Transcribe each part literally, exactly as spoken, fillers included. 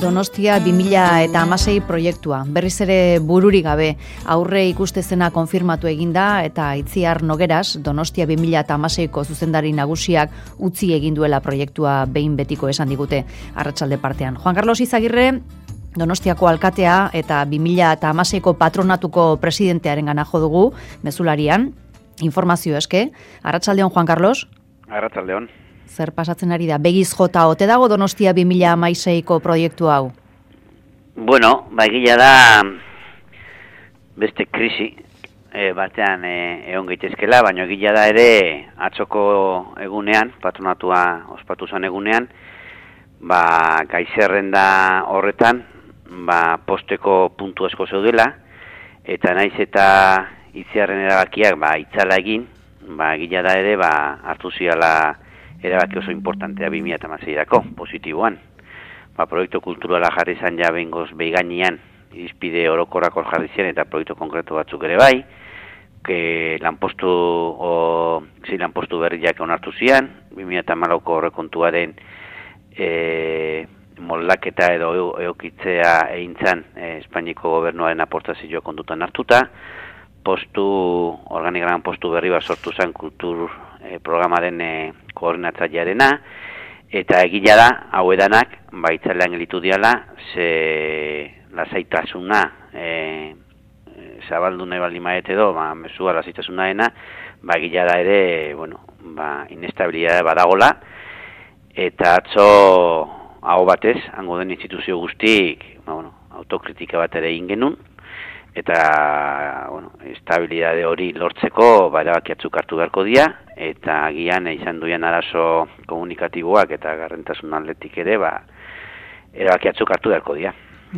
Donostia bi mila hamasei proiektua, berriz ere bururik gabe, aurre ikustezena konfirmatu eginda eta Itziar Nogueras, Donostia bi mila hamaseiko zuzendari nagusiak utzi egin duela proiektua behin betiko esan digute arratsalde partean. Juan Carlos Izagirre, Donostiako alkatea eta bi mila hamaseiko patronatuko presidentearen gana jo dugu, mezularian, informazio eske. Arratsaldeon, Juan Carlos? Arratsaldeon. Zer pasatzen ari da? Begiz jota ote dago Donostia bi mila hamaseiko proiektu hau? Bueno, ba egia da beste krisi e, batean e, egon gaitezkela, baina egia da ere atzoko egunean, patronatua ospatu zen egunean, ba gaizerrenda horretan, ba posteko puntu asko zeudela, eta naiz eta Itziarren erabakiak ba itzala egin, ba egia da ere ba hartu ziala erabaki oso importantea bi mila hamaseirako, positiboan. Ba, proiektu kulturala jarri zan ja behingoz behiganian, irizpide orokorrak hor jarri ziren eta proiektu konkretu batzuk ere bai, que lanpostu, o, zi lanpostu berriak onartu zian, bi mila hamalauko horrekontuaren e, moldaketa edo eokitzea egin zan e, Espainiko gobernuaren aportazioa kontutan hartuta, postu, organigraman postu berri bat sortu zen kultur e, programaren e, koordinatzailearena, eta egila da, hau edanak, baitzalean gelitu diala, ze lasaitasuna, e, zabaldu nahi baldin maet edo, ba, mesua lasaitasuna dena, ba, egila da ere, bueno, ba, inestabilidade badagola, eta atzo, hau batez, hango den instituzio guztik, ba, bueno, autokritika bat ere egin genuen, eta, bueno, estabilidade hori lortzeko, ba, erabakiatzuk hartu beharko dira, eta agian izan duan arazo komunikatiboak eta garrentasun aldetik ere, ba, erabakiatzuk hartu beharko dira.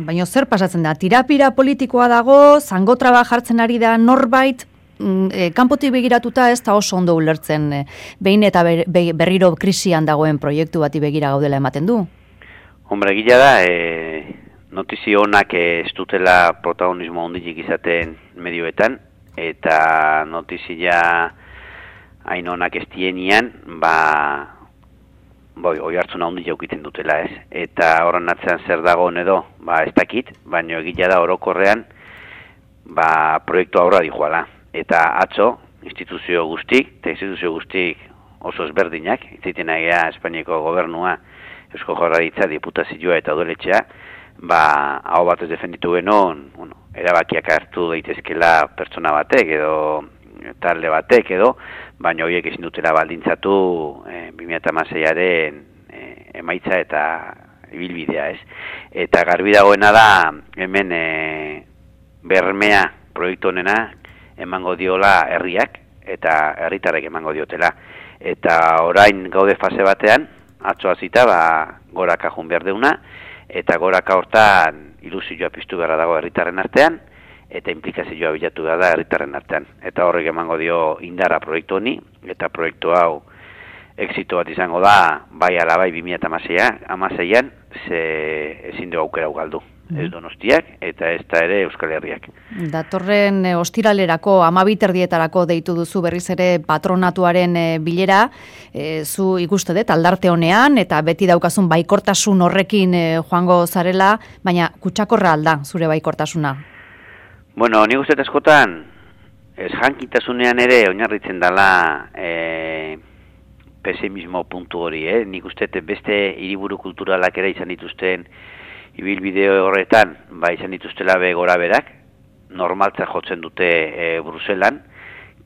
Baina zer pasatzen da? Tirapira politikoa dago, zangotraba jartzen ari da norbait, e, kanpotik begiratuta ez da oso ondo ulertzen, e, behin eta ber, berriro krisian dagoen proiektu bati begira gaudela ematen du? Hombre, gila da, e, notizio honak ez dutela protagonismo hondilik izaten medioetan, eta notizia hain honak ez dienian, ba, boi, oi hartzuna hondik jaukiten dutela ez. Eta horren atzean zer dagoen edo, ba, ez dakit, baina egila da orokorrean, ba, proiektu aurra dijoala. Eta atzo, instituzio guztik, eta instituzio guztik oso ezberdinak, itzaiten agea Espainiako gobernua, Eusko Jaurlaritza, diputazioa eta udaletxea, ba, hau batez defenditu genon, bueno, erabakiak hartu daitezkela pertsona batek edo talde batek edo, baina horiek ezin dutela baldintzatu e, bi mila hamaseiaren e, emaitza eta ibilbidea ez. Eta garbi dagoena da hemen e, bermea proiektu honena emango diola herriak eta herritarrek emango diotela. Eta orain gaude fase batean, atzo hasita ba, goraka jun behar deuna, eta goraka hortan ilusioa piztu beharra dago herritarren artean, eta implikazioa bilatu behar da herritarren artean. Eta horrek emango dio indarra proiektu honi, eta proiektu hau exito bat izango da, bai ala bai bi mila hamaseian, ze ezin du aukera galdu. Ez Donostiak, eta ez da ere Euskal Herriak. Datorren e, ostiralerako, amabiterdietarako deitu duzu berriz ere patronatuaren e, bilera, e, zu ikuste dut, aldarte honean, eta beti daukazun baikortasun horrekin e, joango zarela, baina kutsakorra alda zure baikortasuna? Bueno, nik uste askotan, ez jankitasunean ere oinarritzen dela e, pesimismo puntu hori, eh? Nik uste beste hiriburu kulturalak ere izan dituzten ibilbide horretan, ba izan dituztela be gora berak, normaltza jotzen dute e, Bruselan,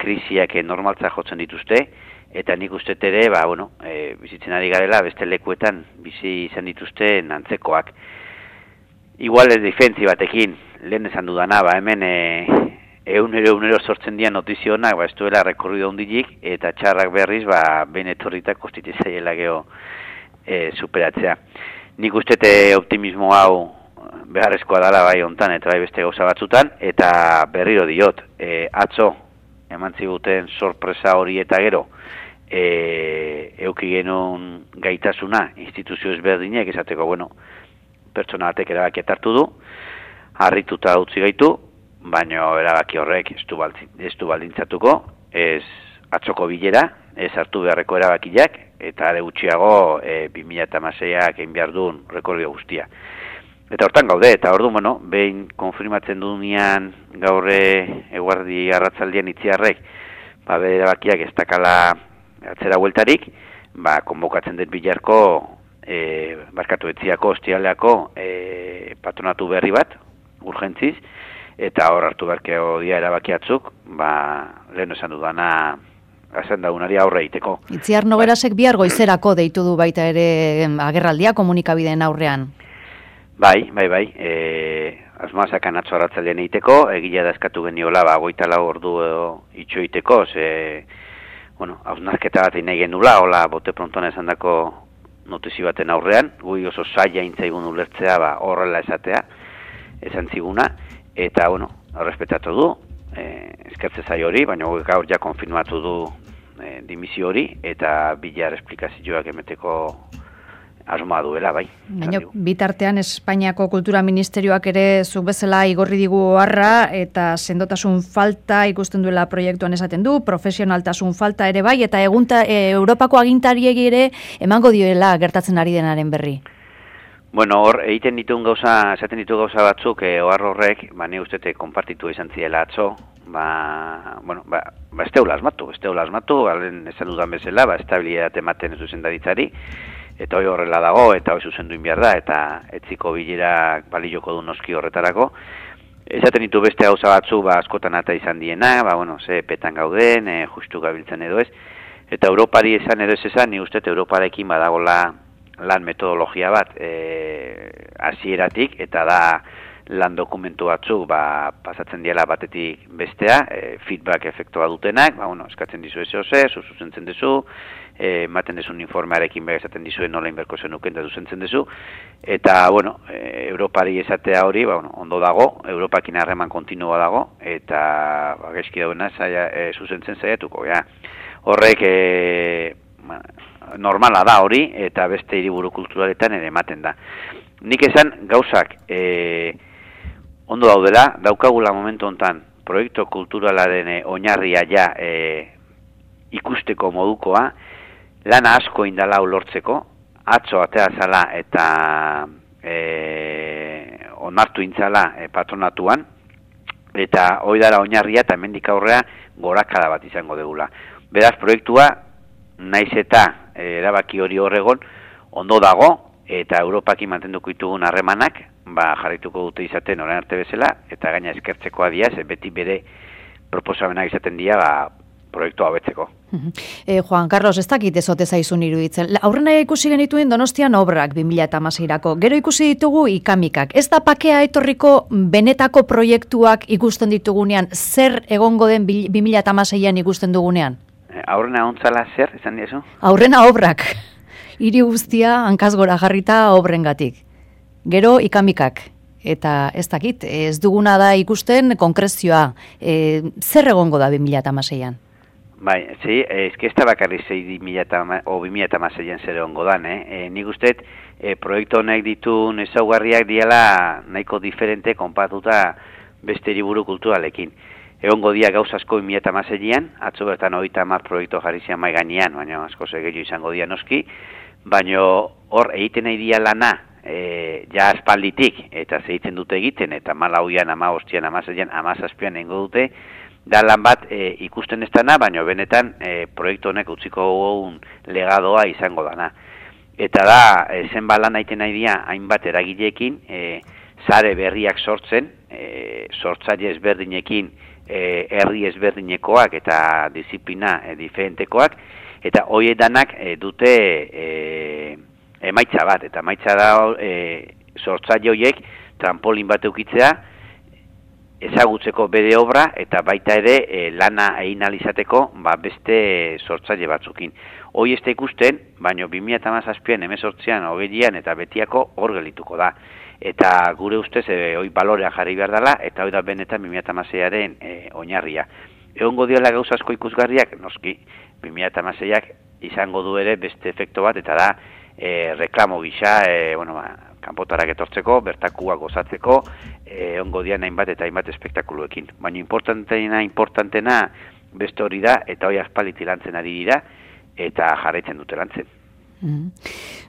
krisiak normaltza jotzen dituzte, eta nik uste ere, ba, bueno, e, bizitzen ari garela, beste lekuetan bizi izan dituzten antzekoak. Igual ez defentzi batekin, lehen esan dudana, ba, hemen e, eunero eunero sortzen dian notizionak, ba, ez duela rekorrido hondilik, eta txarrak berriz, ba, ben etorritak kostitizaiela geho e, superatzea. Nik uste optimismo hau beharrezkoa dela bai hontan eta bai beste gauza batzutan, eta berriro diot, e, atzo eman ziguten sorpresa hori eta gero, e, euki genuen gaitasuna instituzio ezberdinek esateko, bueno, pertsona batek erabaki hartu du, harrituta utzi gaitu, baina erabaki horrek ez du, ez du baldintzatuko, ez atzoko bilera, ez hartu beharreko erabakiak, eta are gutxiago e, bi mila hamaseiak egin behar duen rekordio guztia. Eta hortan gaude, eta ordu, bueno, behin konfirmatzen dunean gaurre eguardi arratzaldian itziarrek, ba, bere bakiak ez dakala atzera hueltarik, ba, konbokatzen dut bilarko, e, barkatu etziako, ostialeako, e, patronatu berri bat, urgentziz, eta hor hartu beharkeo dia erabakiatzuk, ba, lehen esan dudana, azen daunari aurre egiteko. Itziar Nogerasek bihar goizerako deitu du baita ere agerraldia komunikabideen aurrean. Bai, bai, bai, e, asmazakan atzo arratzalean egiteko, egila da eskatu geniola, ba, goita lau ordu itxo egiteko, ze, bueno, hausnarketa bat nahi genula, hola, bote prontoan esan dako notizi baten aurrean, gui oso saia intzaigun ulertzea, ba, horrela esatea, esan ziguna, eta, bueno, errespetatu du, e, eskertze zai hori, baina gaur ja konfirmatu du e, dimisio hori, eta bilar esplikazioak emeteko asmoa duela, bai. Baina, bitartean Espainiako Kultura Ministerioak ere zuk bezala igorri digu oharra eta sendotasun falta ikusten duela proiektuan esaten du, profesionaltasun falta ere bai, eta egunta, e, Europako agintariek ere emango dioela gertatzen ari denaren berri. Bueno, hor, egiten dituen gauza, esaten ditu gauza batzuk, e, ohar horrek, ba, ni ustete konpartitu izan ziela atzo, ba, bueno, ba, ba ez teula asmatu, ez teula asmatu, alen esan dudan bezala, ba, estabilitate ematen zuzendaritzari, eta hori horrela dago, eta hori zuzendu inbiar da, eta etziko bilerak balioko du noski horretarako. Esaten ditu beste gauza batzu, ba, askotan ata izan diena, ba, bueno, ze petan gauden, e, justu gabiltzen edo ez, eta Europari esan edo ez esan, ni uste Europarekin badagola lan metodologia bat e, hasieratik, eta da lan dokumentu batzuk ba, pasatzen diela batetik bestea, e, feedback efektua dutenak, ba, bueno, eskatzen dizu ez ose, zuzentzen dizu, ematen e, dezun informearekin behar esaten dizuen nola inberko zenuken da zuzentzen dizu, eta, bueno, e, Europari esatea hori, ba, bueno, ondo dago, Europakin harreman kontinua dago, eta ba, gaizki dauna e, zuzentzen zaiatuko, ja. Horrek e, ba, normala da hori, eta beste hiriburu kulturaletan ere ematen da. Nik esan gauzak e, ondo daudela, daukagula momentu hontan proiektu kulturalaren e, oinarria ja e, ikusteko modukoa, lana asko indala ulortzeko, atzo atea zala eta e, onartu intzala e, patronatuan, eta hoi dara oinarria eta hemendik aurrea gorakada bat izango degula. Beraz, proiektua, naiz eta e, erabaki hori horregon, ondo dago, eta Europakin mantenduko ditugun harremanak, ba, jarrituko dute izaten orain arte bezala, eta gaina eskertzekoa diaz, beti bere proposamenak izaten dira, ba, proiektua hobetzeko. E, Juan Carlos, ez dakit ezote zaizun iruditzen. Aurrena ikusi genituen Donostian obrak bi mila hamaseirako. Gero ikusi ditugu ikamikak. Ez da pakea etorriko benetako proiektuak ikusten ditugunean, zer egongo den bi mila hamaseian ikusten dugunean? Aurrena ontzala zer, esan diezu? Aurrena obrak. Hiri guztia hankaz gora jarrita obrengatik. Gero ikamikak. Eta ez dakit, ez duguna da ikusten konkrezioa. E, zer egongo da bi mila hamaseian? Bai, zi, ez que ez da bakarri zei bi mila hamaseian zer egongo dan, eh? E, nik usteet, e, proiektu honek ditun ezaugarriak diala nahiko diferente konpatuta beste hiriburu kulturalekin. Egongo dia gauz asko bi mila hamaseian, atzo bertan hogeita hamar proiektu jarri zian mai gainean, baina asko gehiago izango dia noski, baina hor egiten nahi dia lana, e, ja aspalditik, eta zeitzen dute egiten, eta malauian, ama hostian, amaseian, amazazpian egingo dute, da lan bat e, ikusten ez dana, baina benetan e, proiektu honek utziko un legadoa izango dana. Eta da, e, zenba lan aiten nahi dia, hainbat eragileekin, e, sare berriak sortzen, e, sortzaile ezberdinekin, e, herri ezberdinekoak eta disiplina e, diferentekoak, eta hoiedanak e, dute e, emaitza bat, eta emaitza da e, sortzaile horiek trampolin bat eukitzea, ezagutzeko bere obra, eta baita ere e, lana egin alizateko ba, beste sortzaile batzukin. Hoi ez da ikusten, baina bi mila hamazazpian, hemezortzian, hogeian eta betiako hor gelituko da. Eta gure ustez, e, hoi balorea jarri behar dela, eta hoi da benetan bi mila hamaseiaren e, oinarria. Egongo diola gauza asko ikusgarriak, noski, bi mila hamaseiak izango du ere beste efekto bat, eta da e, reklamo gisa, e, bueno, ba, kanpotarak etortzeko, bertakuak gozatzeko, eh, ongo dian hainbat eta hainbat espektakuluekin. Baina importantena, importantena beste hori da, eta hori aspaliti lantzen ari dira, eta jarraitzen dute lantzen. Mm.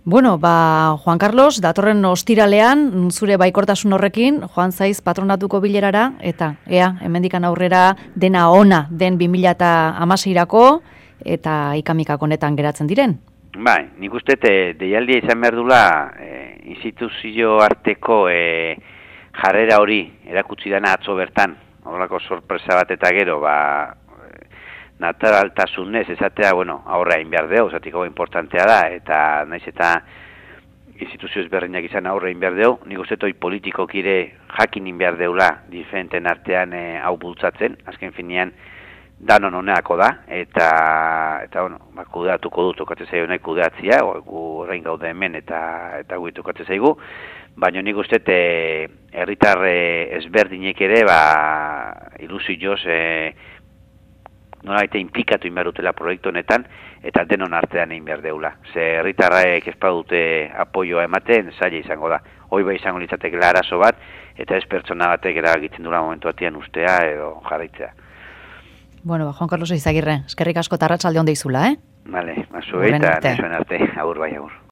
Bueno, ba, Juan Carlos, datorren ostiralean, zure baikortasun horrekin, joan zaiz patronatuko bilerara, eta ea, hemendikan aurrera dena ona den bi mila hamaseirako eta ikamikak honetan geratzen diren. Bai, nik uste te, deialdia izan behar dula e, instituzio arteko e, jarrera hori erakutsi dana atzo bertan, horrelako sorpresa bat eta gero, ba, naturaltasunez esatea, bueno, aurre hain behar deu, zatik hau importantea da, eta naiz eta instituzio ezberdinak izan aurre hain behar deu, nik uste toi politikokire jakin in behar deula diferenten artean e, hau bultzatzen, azken finean danon honeako da, eta, eta bueno, ba, kudeatuko du tokatzen zaigu nahi kudeatzia, gu horrein gaude hemen eta, eta gu tokatzen zaigu, baina nik uste e, herritar ezberdinek ere, ba, ilusioz, e, nolaite implikatu inberutela proiektu honetan, eta denon artean egin behar deula. Ze herritarraek ez badute apoioa ematen, zaila izango da. Hoi bai izango litzatek arazo bat, eta ez pertsona batek erabakitzen dura momentu batean ustea edo jarraitzea. Bueno, ba, Juan Carlos Eizagirre, eskerrik asko tarratsalde on deizula, eh? Vale, mazu eta nizuen arte, agur bai, agur.